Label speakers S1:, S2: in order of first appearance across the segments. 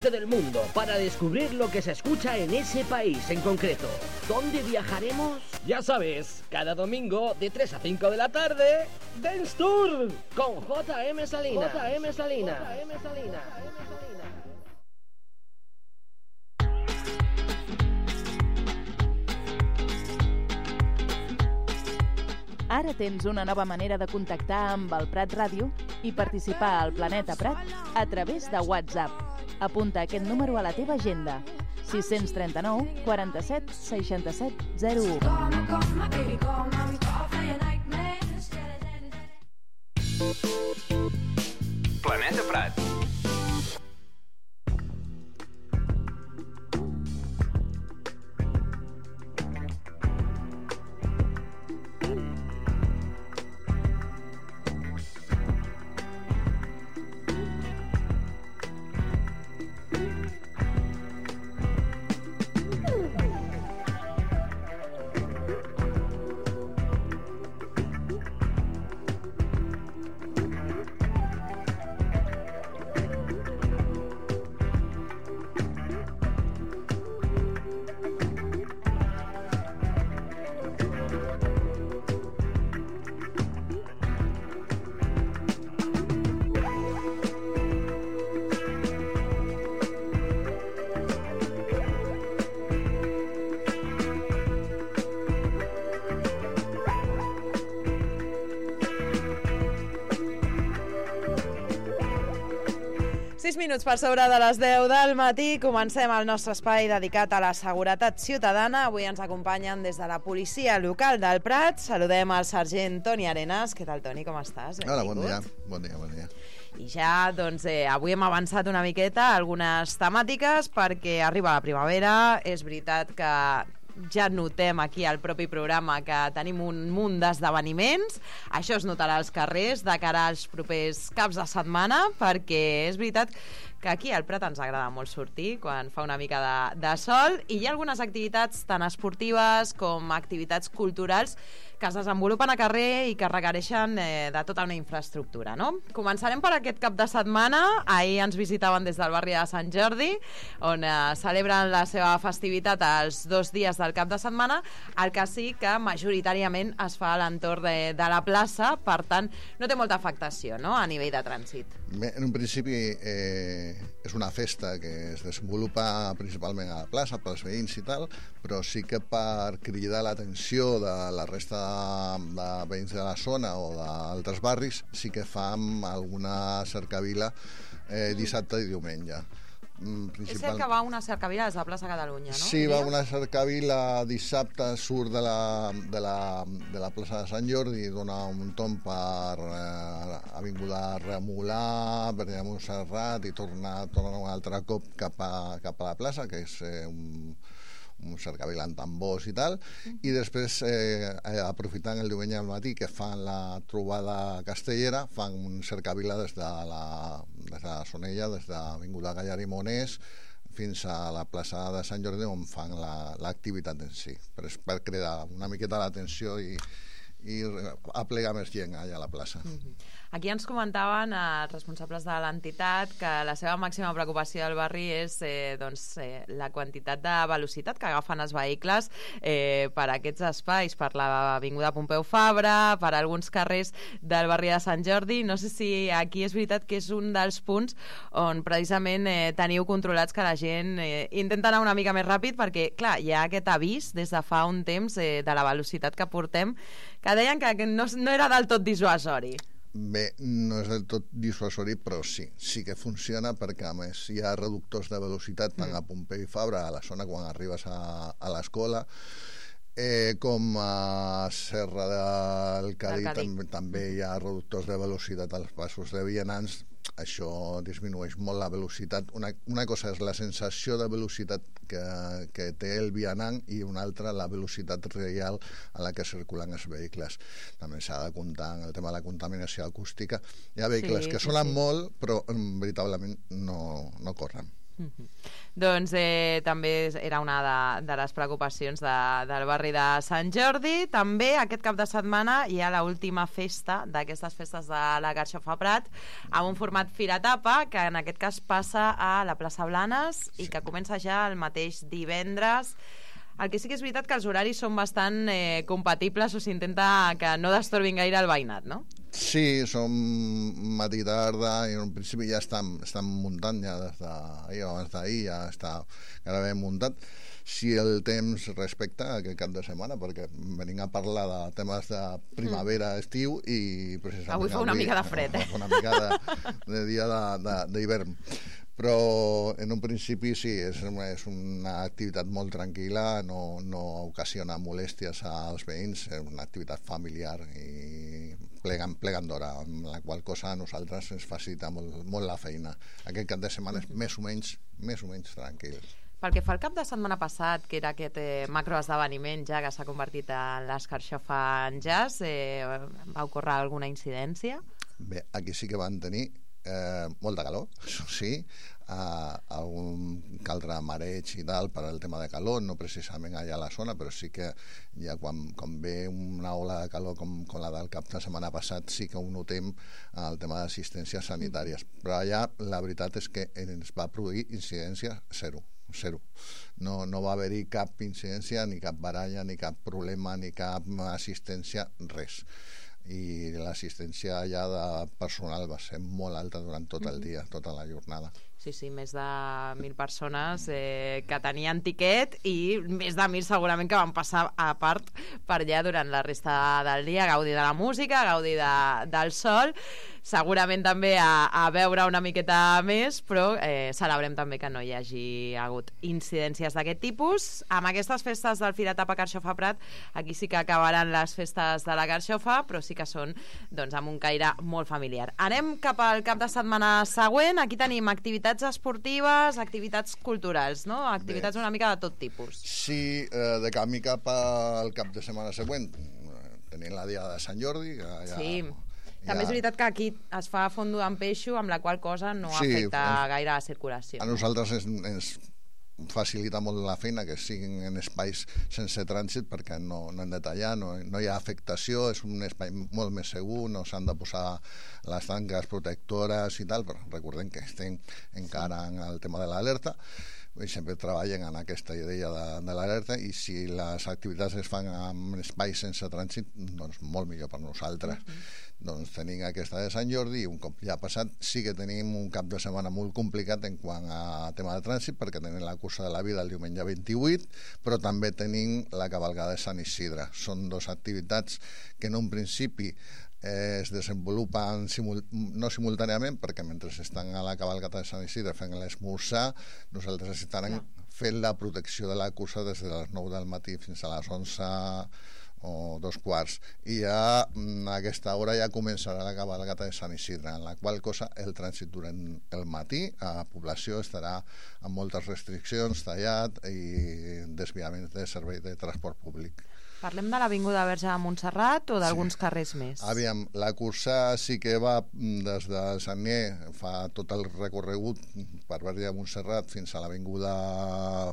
S1: del mundo para descubrir lo que se escucha en ese país en concreto. ¿Dónde viajaremos? Ya sabes, cada domingo de 3 a 5 de la tarde, Dance Tour con J.M. Salinas. J.M. Salinas. J.M. Salinas.
S2: Ara tens una nova manera de contactar amb el Prat Ràdio i participar al Planeta Prat a través de WhatsApp. Apunta aquest número a la teva agenda: 639 47 67 01.
S3: Planeta Prat.
S4: Minuts per sobre de les 10 del matí, comencem el nostre espai dedicat a la seguretat ciutadana. Avui ens acompanyen des de la policia local del Prat. Saludem al sergent Toni Arenas. Què tal, Toni? Com estàs?
S5: Hola, bon dia. Bon dia.
S4: I ja, doncs, avui hem avançat una miqueta algunes temàtiques perquè arriba la primavera. És veritat que ja notem aquí al propi programa que tenim un munt d'esdeveniments. Això es notarà als carrers de cara als propers caps de setmana, perquè és veritat que aquí al Prat ens agrada molt sortir quan fa una mica de sol, i hi ha algunes activitats tant esportives com activitats culturals que es desenvolupen a carrer i que requereixen de tota una infraestructura, no? Començarem per aquest cap de setmana. Ahir ens visitaven des del barri de Sant Jordi, on celebren la seva festivitat els 2 dies del cap de setmana. El que sí que majoritàriament es fa a l'entorn de la plaça, per tant no té molta afectació, no?, a nivell de trànsit.
S5: Bé, en un principi és una festa que es desenvolupa principalment a la plaça pels veïns i tal, però sí que per cridar l'atenció de la resta de veïns de la zona o d'altres barris sí que fam alguna cercavila dissabte i diumenge.
S4: És cert que va una cercavila des de Plaça Catalunya, no?
S5: Sí, va una cercavila dissabte, surt de la plaça de Sant Jordi i dona un tomb per Avinguda Remolar, Verge de Montserrat, i torna un altre cop cap a la plaça, que és un cercavila amb tambors i tal, i després aprofitant el diumenge al matí que fan la trobada castellera, fan un cercavila des de la Sonella, des d'Avinguda Gallar i Monés fins a la plaça de Sant Jordi, on fan l'activitat en si, per cridar una miqueta l'atenció i aplegar més gent allà a la plaça.
S4: Aquí ens comentaven els responsables de l'entitat que la seva màxima preocupació del barri és la quantitat de velocitat que agafen els vehicles per aquests espais, per l'avinguda Pompeu Fabra, per alguns carrers del barri de Sant Jordi. No sé si aquí és veritat que és un dels punts on precisament teniu controlats que la gent intenta anar una mica més ràpid, perquè clar, hi ha aquest avís des de fa un temps de la velocitat que portem, que deien que no era del tot dissuasori.
S5: Bé, no és del tot dissuasori, però sí que funciona, perquè a més hi ha reductors de velocitat tant a Pompeu i Fabra, a la zona quan arribes a l'escola, com a Serra del Cadí també hi ha reductors de velocitat als passos de vianants. Això disminueix molt la velocitat. Una cosa és la sensació de velocitat que té el vianant i una altra la velocitat real a la que circulen els vehicles. També s'ha de comptar en el tema de la contaminació acústica. Hi ha vehicles que sonen molt, però veritablement no corren.
S4: Doncs també era una de les preocupacions del barri de Sant Jordi. També aquest cap de setmana hi ha l'última festa d'aquestes festes de la Carxofa Prat, amb un format Firatapa, que en aquest cas passa a la plaça Blanes i que comença ja el mateix divendres. El que sí que és veritat que els horaris són bastant compatibles, o s'intenta que no destorbin gaire el veïnat, no?
S5: Sí, som matí tarda i en principi ja estan muntant ja des d'ahir o abans d'ahir, ja està gairebé muntat. Si el temps respecta aquest cap de setmana, perquè venim a parlar de temes de primavera, estiu i precisament
S4: avui fa una mica de fred,
S5: una mica de dia d'hivern. Però en un principi sí, és una activitat molt tranquil·la, no ocasiona molèsties als veïns, és una activitat familiar i plegant d'hora, amb la qual cosa a nosaltres ens facilita molt la feina. Aquest cap de setmana és més o menys tranquil.
S4: Pel que fa al cap de setmana passat, que era aquest macroesdeveniment ja que s'ha convertit en l'Escarxofa en Jazz, va ocórrer alguna incidència?
S5: Bé, aquí sí que van tenir molta calor, això sí, algun caldre mareig i tal per al tema de calor, no precisament allà a la zona, però sí que ja quan ve una ola de calor com la del cap de setmana passat sí que ho notem el tema d'assistències sanitàries, però allà la veritat és que ens va produir incidència zero. No va haver-hi cap incidència, ni cap baralla, ni cap problema, ni cap assistència, res. I l'assistència ja de personal va ser molt alta durant tot el dia, tota la jornada.
S4: Sí, més de 1.000 persones que tenien tiquet i més de 1.000 segurament que van passar a part per allà durant la resta del dia, a gaudir de la música, a gaudir del sol, segurament també a veure una miqueta més, però celebrem també que no hi hagi hagut incidències d'aquest tipus. Amb aquestes festes del Firatapa Carxofa Prat, aquí sí que acabaran les festes de la Carxofa, però sí que són amb un caire molt familiar. Anem cap al cap de setmana següent. Aquí tenim activitats esportives, activitats culturals, no? Activitats una mica de tot tipus.
S5: Sí, de camí cap al cap de setmana següent tenim la Diada de Sant Jordi.
S4: Sí, també és veritat que aquí es fa fondo amb peixo, amb la qual cosa no afecta gaire la circulació.
S5: A nosaltres ens facilita molt la feina que siguin en espais sense trànsit perquè no hem de tallar, no hi ha afectació, és un espai molt més segur, no s'han de posar les tanques protectores i tal, però recordem que estem encara en el tema de l'alerta i sempre treballen en aquesta idea de l'alerta, i si les activitats es fan en espais sense trànsit, doncs molt millor per nosaltres. Doncs tenim aquesta de Sant Jordi i un cop ja passat sí que tenim un cap de setmana molt complicat en quant a tema de trànsit, perquè tenim la cursa de la vida el diumenge 28, però també tenim la cavalcada de Sant Isidre. Són dues activitats que en un principi es desenvolupen no simultàniament, perquè mentre estan a la cavalcada de Sant Isidre fent l'esmorzar, nosaltres estarem fent la protecció de la cursa des de les 9 del matí fins a les 11 o 2:15, i ja a aquesta hora ja començarà la cavalcada de Sant Isidre, en la qual cosa el trànsit durant el matí a la població estarà amb moltes restriccions, tallat i desviaments de servei de transport públic.
S4: Parlem de l'Avinguda Verge de Montserrat o d'alguns carrers més?
S5: Aviam, la cursa sí que va des de Sant Nier, fa tot el recorregut per Verge de Montserrat fins a l'Avinguda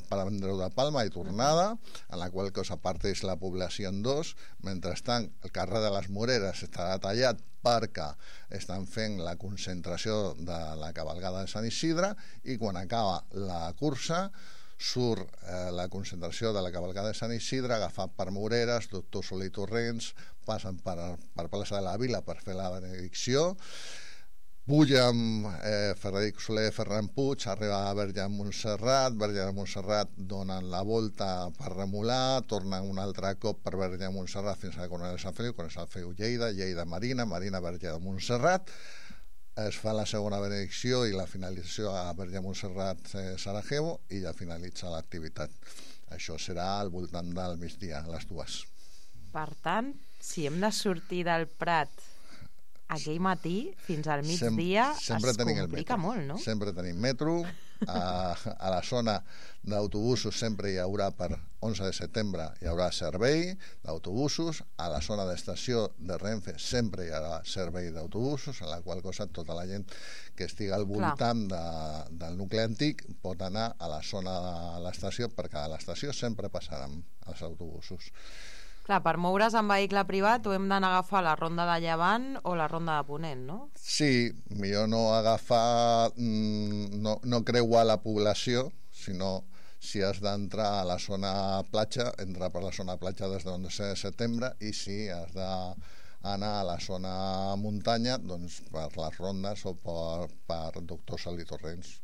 S5: Pare Andreu de Palma i tornada, en la qual cosa parteix la població en dos. Mentrestant, el carrer de les Moreres estarà tallat perquè estan fent la concentració de la cavalcada de Sant Isidre, i quan acaba la cursa surt la concentració de la cavalcada de Sant Isidre, agafat per Moreres, Doctor Soler i Torrents, passen per plaça de la Vila per fer la benedicció, pugen Frederic Soler, Ferran Puig, arriba a Verge de Montserrat donen la volta per Remolar, tornen un altre cop per Verge de Montserrat fins a la Coronel de Sant Feliu, Coronel de Sant Feliu Lleida Marina, Verge de Montserrat, es fa la segona benedicció i la finalització a Verge de Montserrat Sarajevo, i ja finalitza l'activitat. Això serà al voltant del migdia, a les 2.
S4: Per tant, si hem de sortir del Prat aquell matí fins al migdia es complica molt, no?
S5: Sempre tenim metro. A la zona d'autobusos sempre hi haurà, per 11 de setembre, hi haurà servei d'autobusos. A la zona d'estació de Renfe sempre hi haurà servei d'autobusos, en la qual cosa tota la gent que estigui al voltant del nucli antic pot anar a la zona de l'estació, perquè a l'estació sempre passaran els autobusos.
S4: Clar, per moure's en vehicle privat o hem d'anar a agafar la ronda de Llevant o la ronda de Ponent, no?
S5: Sí, millor no agafar, no creuar la població, sinó si has d'entrar a la zona platja, entrar per la zona platja des de 11 de setembre, i si has d'anar a la zona muntanya, doncs per les rondes o per Doctor Salí Torrents.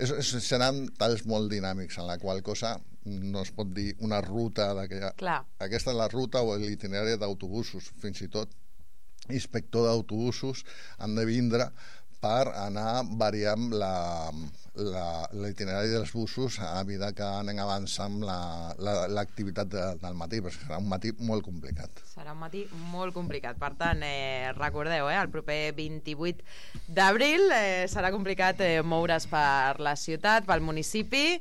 S5: Seran talls molt dinàmics, en la qual cosa no es pot dir una ruta d'aquella... Aquesta és la ruta o l'itinerari d'autobusos. Fins i tot inspector d'autobusos han de vindre per anar variant l'itinerari dels busos a mesura que anem avançant l'activitat del matí, perquè serà un matí molt complicat.
S4: Serà un matí molt complicat. Per tant, recordeu, el proper 28 d'abril serà complicat moure's per la ciutat, pel municipi,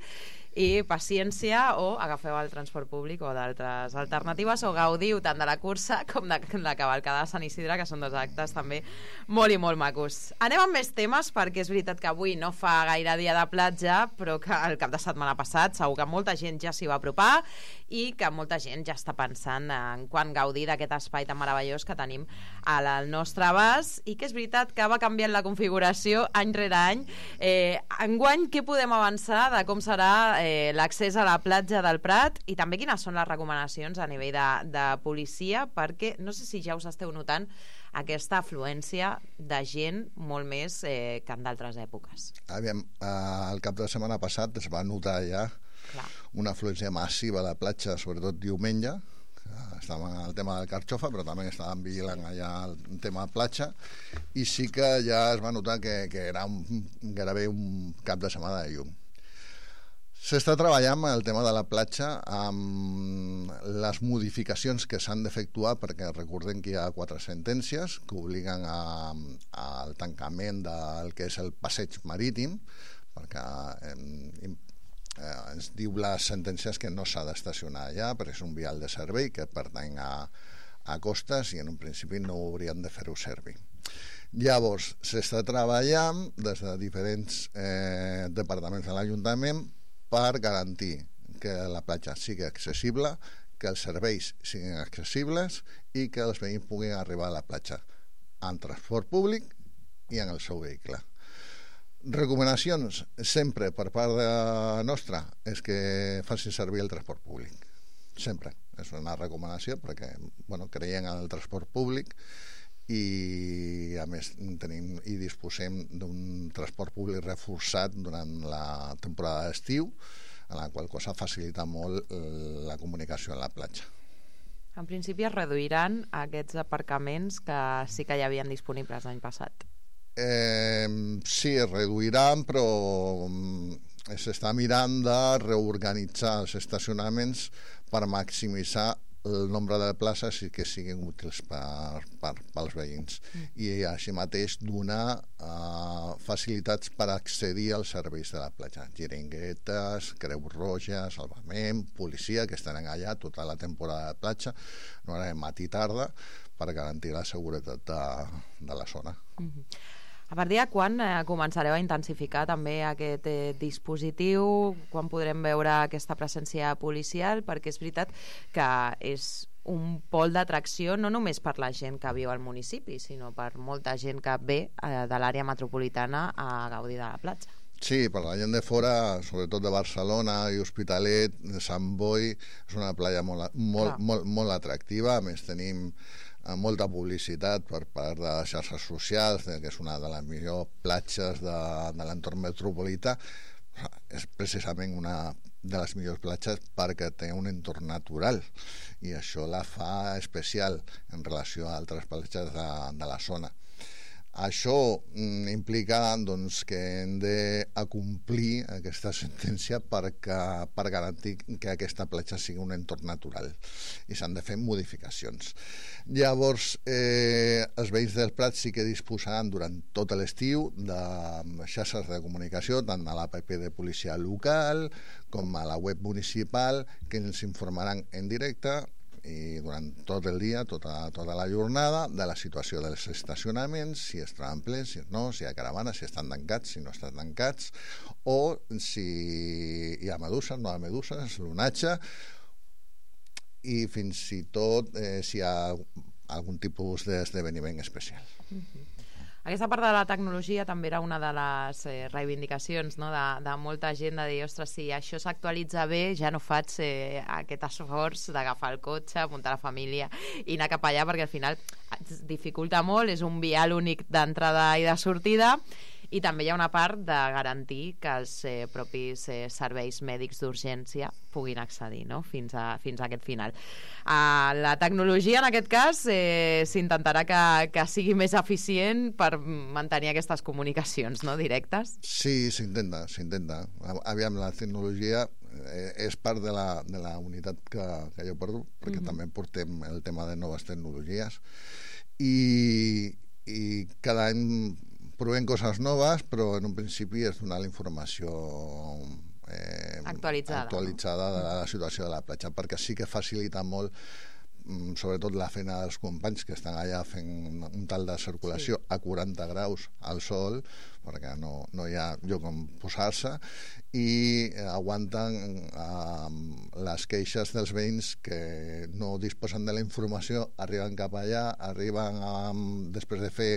S4: i paciència, o agafeu el transport públic o d'altres alternatives, o gaudiu tant de la cursa com de la cavalcada de Sant Isidre, que són dos actes també molt i molt macos. Anem amb més temes, perquè és veritat que avui no fa gaire dia de platja, però que el cap de setmana passat segur que molta gent ja s'hi va apropar i que molta gent ja està pensant en quan gaudir d'aquest espai tan meravellós que tenim al nostre abast, i que és veritat que va canviant la configuració any rere any. Enguany, què podem avançar de com serà l'accés a la platja del Prat, i també quines són les recomanacions a nivell de policia, perquè no sé si ja us esteu notant aquesta afluència de gent molt més que en d'altres èpoques.
S5: Aviam, el cap de setmana passat es va notar ja una afluència massiva a la platja, sobretot diumenge. Estàvem en el tema del Carxofa, però també estàvem vigilant allà el tema de platja, i sí que ja es va notar que era gairebé un cap de setmana de llum. S'està treballant el tema de la platja amb les modificacions que s'han d'efectuar, perquè recordem que hi ha 4 sentències que obliguen al tancament del que és el passeig marítim, perquè ens diu les sentències que no s'ha d'estacionar allà, perquè és un vial de servei que pertany a costes i en un principi no haurien de fer-ho servir. Llavors, s'està treballant des de diferents departaments de l'Ajuntament per garantir que la platja sigui accessible, que els serveis siguin accessibles i que els veïns puguin arribar a la platja en transport públic i en el seu vehicle. Recomanacions sempre per part nostra és que facin servir el transport públic. Sempre. És una recomanació perquè creiem en el transport públic i a més tenim i disposem d'un transport públic reforçat durant la temporada d'estiu, en la qual cosa facilita molt la comunicació a la platja.
S4: En principi es reduiran aquests aparcaments que sí que hi havien disponibles l'any passat.
S5: Sí, es reduiran, però s'està mirant de reorganitzar els estacionaments per maximitzar el nombre de places i que siguin útils pels veïns, i així mateix donar facilitats per accedir als serveis de la platja, xiringuetes, Creus Roja, salvament, policia, que estaran allà tota la temporada de platja, no era matí i tarda, per garantir la seguretat de la zona.
S4: A partir de quan començareu a intensificar també aquest dispositiu? Quan podrem veure aquesta presència policial? Perquè és veritat que és un pol d'atracció no només per la gent que viu al municipi, sinó per molta gent que ve de l'àrea metropolitana a gaudir de la platja.
S5: Sí, per la gent de fora, sobretot de Barcelona i Hospitalet, de Sant Boi, és una platja molt atractiva. A més, tenim molta publicitat per part de les xarxes socials, que és una de les millors platges de l'entorn metropolità. És precisament una de les millors platges perquè té un entorn natural, i això la fa especial en relació a altres platges de la zona. Això implica doncs, que hem d'acomplir aquesta sentència per garantir que aquesta platja sigui un entorn natural i s'han de fer modificacions. Llavors, els veïns del Prat sí que disposaran durant tot l'estiu de xarxes de comunicació, tant a l'APP de policia local com a la web municipal, que ens informaran en directe i durant tot el dia, tota la jornada, de la situació dels estacionaments, si es troben plens, si no, si hi ha caravanes, si estan tancats, si no estan tancats, o si hi ha meduses, no hi ha meduses, l'onatge, i fins i tot si hi ha algun tipus d'esdeveniment especial.
S4: Aquesta part de la tecnologia també era una de les reivindicacions, no? de molta gent, de dir, ostres, si això s'actualitza bé, ja no faig aquest esforç d'agafar el cotxe, muntar la família i anar cap allà, perquè al final dificulta molt, és un vial únic d'entrada i de sortida, i també hi ha una part de garantir que els propis serveis mèdics d'urgència puguin accedir, no? fins a aquest final. La tecnologia, en aquest cas, s'intentarà que sigui més eficient per mantenir aquestes comunicacions, no?, directes.
S5: Sí, s'intenta. Aviam, la tecnologia és part de la unitat que jo porto, perquè també portem el tema de noves tecnologies, i cada any provem coses noves, però en un principi és donar la informació actualitzada de la situació de la platja, perquè sí que facilita molt, sobretot la feina dels companys que estan allà fent un tal de circulació a 40 graus al sol, perquè no hi ha lloc on posar-se, i aguanten les queixes dels veïns que no disposen de la informació, arriben cap allà, després de fer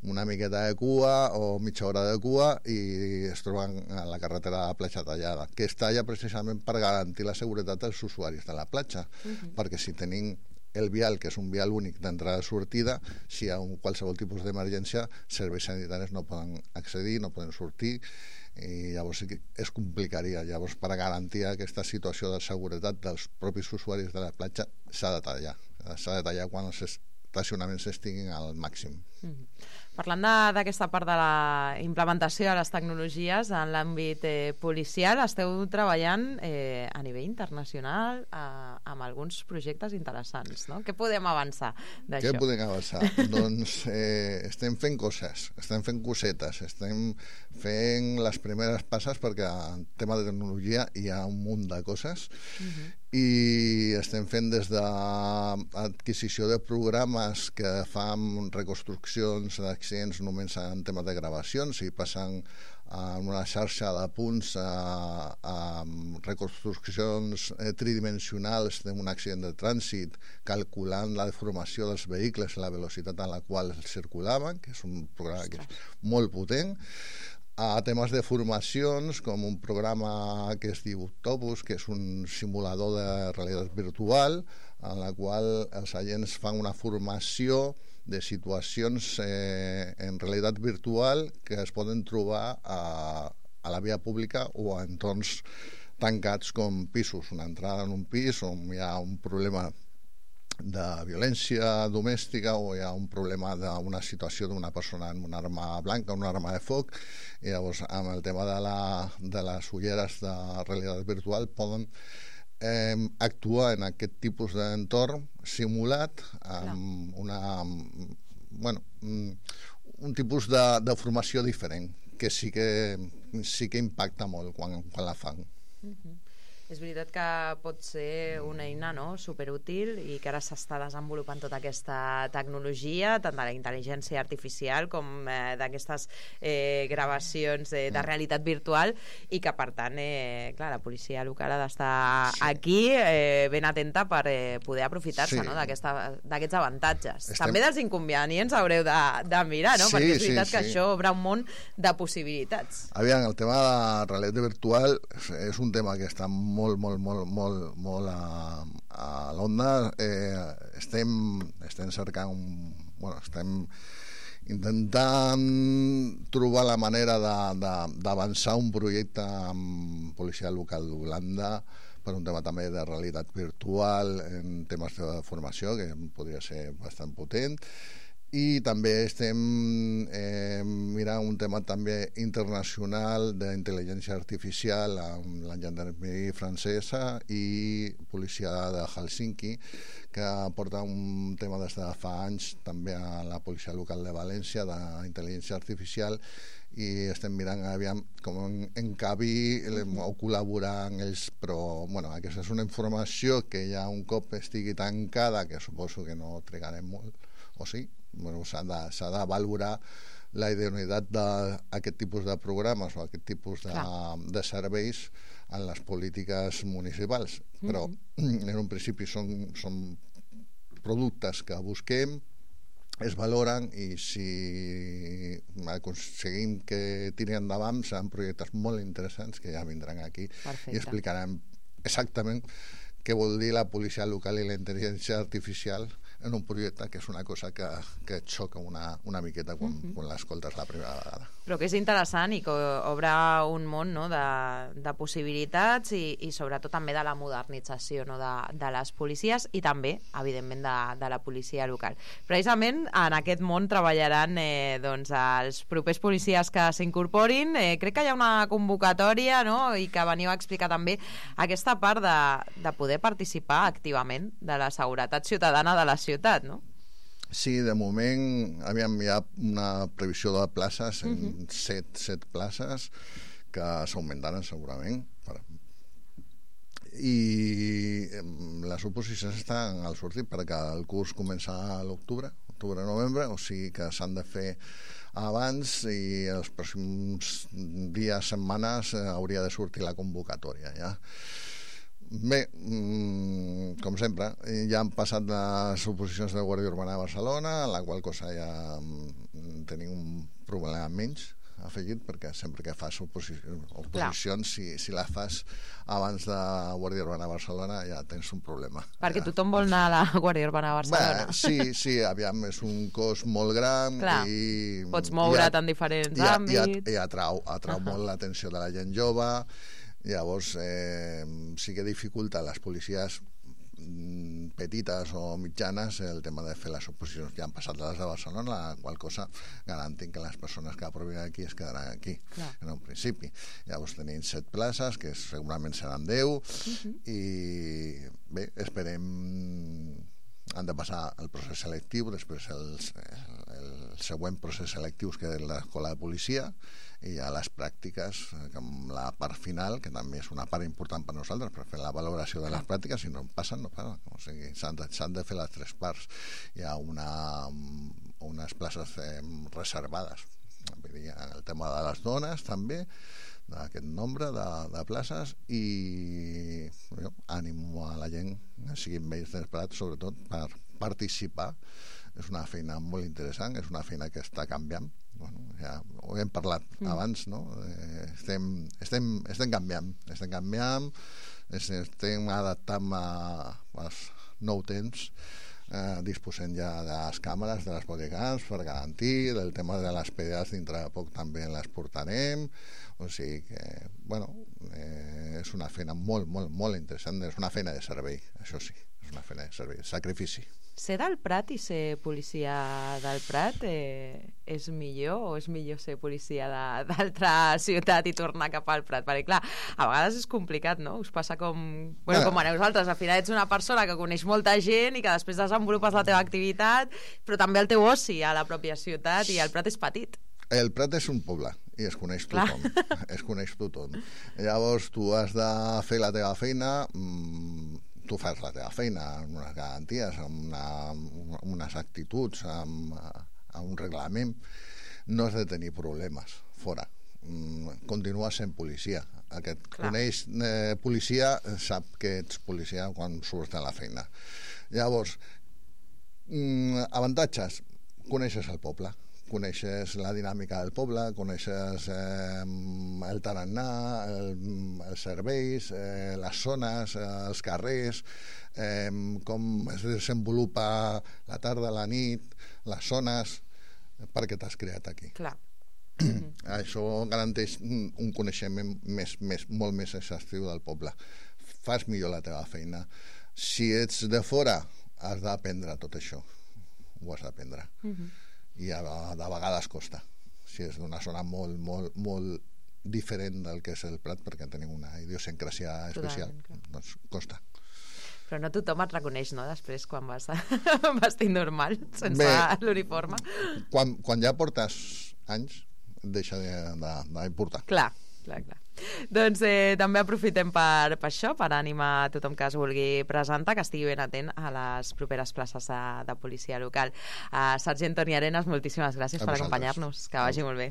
S5: una miqueta de cua o mitja hora de cua, i es troben a la carretera de la platja tallada, que està allà precisament per garantir la seguretat dels usuaris de la platja, perquè si tenim el vial, que és un vial únic d'entrada i sortida, si hi ha qualsevol tipus d'emergència, serveis sanitaris no poden accedir, no poden sortir, i llavors es complicaria. Llavors, per garantir aquesta situació de seguretat dels propis usuaris de la platja, s'ha de tallar quan els estacionaments estiguin al màxim.
S4: Parlant d'aquesta part de la implementació de les tecnologies en l'àmbit policial, esteu treballant a nivell internacional amb alguns projectes interessants, no? Què podem avançar d'això?
S5: Què podem avançar? Doncs estem fent coses, estem fent cosetes, estem fent les primeres passes, perquè en tema de tecnologia hi ha un munt de coses, i estem fent des d'adquisició de programes que fan reconstruccions d'accidents només en temes de gravacions, i passen en una xarxa de punts a reconstruccions tridimensionals d'un accident de trànsit, calculant la deformació dels vehicles i la velocitat a la qual circulaven, que és un programa que és molt potent, a temes de formacions, com un programa que es diu Octopus, que és un simulador de realitat virtual, en la qual els agents fan una formació de situacions en realitat virtual que es poden trobar a la via pública o a entorns tancats com pisos, una entrada en un pis on hi ha un problema de violència domèstica o hi ha un problema d'una situació d'una persona amb una arma blanca, una arma de foc, i llavors amb el tema de les ulleres de realitat virtual poden actuar en aquest tipus d'entorn simulat amb un tipus de formació diferent, que sí que impacta molt quan la fan.
S4: És veritat que pot ser una eina, no?, superútil, i que ara s'està desenvolupant tota aquesta tecnologia, tant de la intel·ligència artificial com d'aquestes gravacions de realitat virtual, i que, per tant, clar, la policia local ha d'estar aquí ben atenta per poder aprofitar-se d'aquests avantatges. També dels inconvenients haureu de mirar, no?, perquè és veritat que això obre un món de possibilitats.
S5: Aviam, el tema de la realitat virtual és un tema que està molt a l'onda. Estem cercant estem intentant trobar la manera d'avançar un projecte amb policia local d'Holanda per un tema també de realitat virtual en temes de formació, que podria ser bastant potent, I també estem mirant un tema també internacional d'intel·ligència artificial amb la gendarmeria francesa i policia de Helsinki, que porta un tema des de fa anys també a la policia local de València d'intel·ligència artificial, i estem mirant aviam com encabi o col·laborar amb ells, però bueno, aquesta és una informació que ja un cop estigui tancada, que suposo que no trigarem molt, o sí, bueno, s'ha de valorar la idoneïtat d'aquest tipus de programes o aquest tipus de serveis en les polítiques municipals, però en un principi són productes que busquem, es valoren, i si aconseguim que tirin endavant seran projectes molt interessants que ja vindran aquí. Perfecte. I explicaran exactament què vol dir la policia local i la intel·ligència artificial en un projecte que és una cosa que et xoca una miqueta quan l'escoltes la primera vegada.
S4: Però que és interessant i que obre un món, no?, de possibilitats i sobretot també de la modernització, no?, de les policies i també, evidentment, de la policia local. Precisament en aquest món treballaran doncs, els propers policies que s'incorporin. Crec que hi ha una convocatòria, no?, i que veniu a explicar també aquesta part de poder participar activament de la seguretat ciutadana de la ciutat, no?
S5: Sí, de moment hi ha una previsió de places, 7 places, que s'augmentaran segurament. I les oposicions estan al sortir perquè el curs comença a l'octubre, octubre-novembre, o sigui que s'han de fer abans, i els pròxims dies, setmanes, hauria de sortir la convocatòria, ja. Bé, com sempre, ja han passat les oposicions de Guàrdia Urbana a Barcelona, en la qual cosa ja tenim un problema menys afegit, perquè sempre que fas oposicions, si la fas abans de Guàrdia Urbana a Barcelona ja tens un problema.
S4: Perquè tothom vol anar a la Guàrdia Urbana a Barcelona.
S5: Bé, sí, aviam, és un cos molt gran.
S4: Clar, pots moure't en diferents àmbits.
S5: I atrau molt l'atenció de la gent jove. Llavors sí que dificulta a les policies petites o mitjanes el tema de fer les oposicions. Ja han passat les de Barcelona, la qual cosa garantim que les persones que aprovin aquí es quedaran aquí. Clar. En un principi. Llavors tenim 7 places, que segurament seran 10, i bé, esperem, han de passar el procés selectiu, després el següent procés selectiu, que és l'escola de policia, i ja les pràctiques, amb la part final, que també és una part important per nosaltres, per fer la valoració de les pràctiques. Si no passen, no passen. O sigui, s'han de fer les 3 parts. Hi ha unes places reservades. El tema de les dones, també, d'aquest nombre de places, i ànimo a la gent, siguin vells desesperats, sobretot per participar. És una feina molt interessant, és una feina que està canviant. Bueno, ja ho hem parlat abans, no? Estem canviant, estem adaptant als nous temps, disposem ja de les càmeres, de les bodycams per garantir, del tema de les PDAs dintre de poc també les portarem, o sigui que, bueno, és una feina molt, molt, molt interessant, és una feina de servei, això sí, és una feina de servei, sacrifici.
S4: Ser del Prat i ser policia del Prat és millor, o és millor ser policia d'altra ciutat i tornar cap al Prat? Perquè, clar, a vegades és complicat, no? Us passa com a nosaltres. Al final ets una persona que coneix molta gent i que després desenvolupes la teva activitat, però també el teu oci a la pròpia ciutat, i el Prat és petit.
S5: El Prat és un poble i es coneix tothom. Es coneix tothom. Llavors tu has de fer la teva feina, tu fas la teva feina amb unes garanties, amb unes actituds, amb un reglament, no has de tenir problemes fora. Continua sent policia. Aquest coneix policia, sap que ets policia quan surts de la feina. Llavors, avantatges, coneixes el poble, coneixes la dinàmica del poble, coneixes el tarannà, els serveis, les zones, els carrers, com es desenvolupa la tarda, la nit, les zones, perquè t'has creat aquí.
S4: Clar.
S5: Això garanteix un coneixement molt més exhaustiu del poble. Fas millor la teva feina. Si ets de fora, has d'aprendre tot això. ho has d'aprendre. I de vegades costa. Si és d'una zona molt, molt, molt diferent del que és el Prat, perquè tenim una idiosincràsia especial, doncs costa.
S4: Però no tothom et reconeix, no?, després, quan vas vestit normal, sense l'uniforme.
S5: Quan ja portes anys, deixa d'importar.
S4: Clar. Doncs també aprofitem per això, per animar a tothom que es vulgui presentar, que estigui ben atent a les properes places de policia local. Sergent Toni Arenas, moltíssimes gràcies per acompanyar-nos. Que vagi molt bé.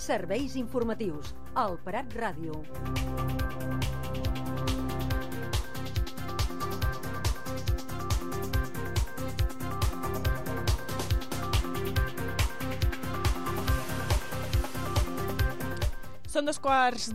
S6: Serveis informatius, al Prat Ràdio.
S7: Són 2:15